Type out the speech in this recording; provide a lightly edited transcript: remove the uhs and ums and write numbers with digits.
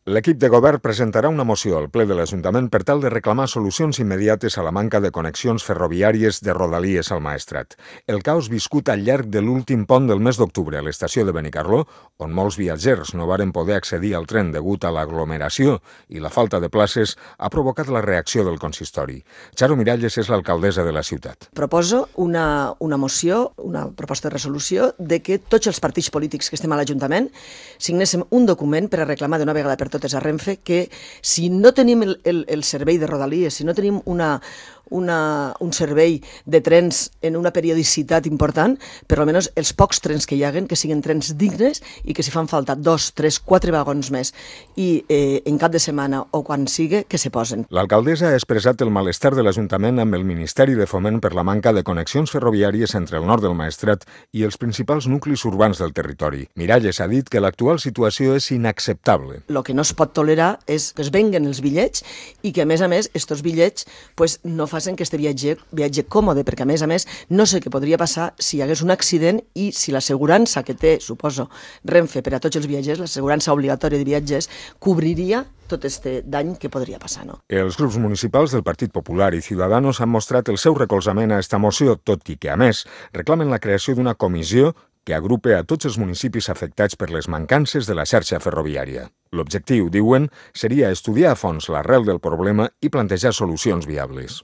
L'equip de govern presentarà una moció al ple de l'Ajuntament per tal de reclamar solucions immediates a la manca de connexions ferroviàries de Rodalies al Maestrat. El caos viscut al llarg de l'últim pont del mes d'octubre a l'estació de Benicarló, on molts viatgers no varen poder accedir al tren degut a l'aglomeració i la falta de places, ha provocat la reacció del consistori. Charo Miralles és l'alcaldessa de la ciutat. Proposo una moció, una proposta de resolució, de que tots els partits polítics que estem a l'Ajuntament signéssim un document per a reclamar d'una vegada per totes a Renfe que si no tenim el servei de Rodalies, si no tenim un servei de trens en una periodicitat important, per almenys els pocs trens que hi haguen, que siguin trens dignes i que si fan falta 2, 3, 4 vagons més i en cap de setmana o quan sigui, que se posen. L'alcaldessa ha expressat el malestar de l'Ajuntament amb el Ministeri de Foment per la manca de connexions ferroviàries entre el nord del Maestrat i els principals nuclis urbans del territori. Miralles ha dit que l'actual situació és inacceptable. El que no es pot tolerar és que es venguen els bitllets i que, a més, estos bitllets no facin que este viatge còmode, perquè, a més, no sé què podria passar si hi hagués un accident i si l'assegurança que té, suposo, Renfe per a tots els viatgers, l'assegurança obligatòria de viatgers, cobriria tot este dany que podria passar, no? Els grups municipals del Partit Popular i Ciudadanos han mostrat el seu recolzament a esta moció, tot i que, a més, reclamen la creació d'una comissió que agrupe a tots els municipis afectats per les mancances de la xarxa ferroviària. L'objectiu, diuen, seria estudiar a fons l'arrel del problema i plantejar solucions viables.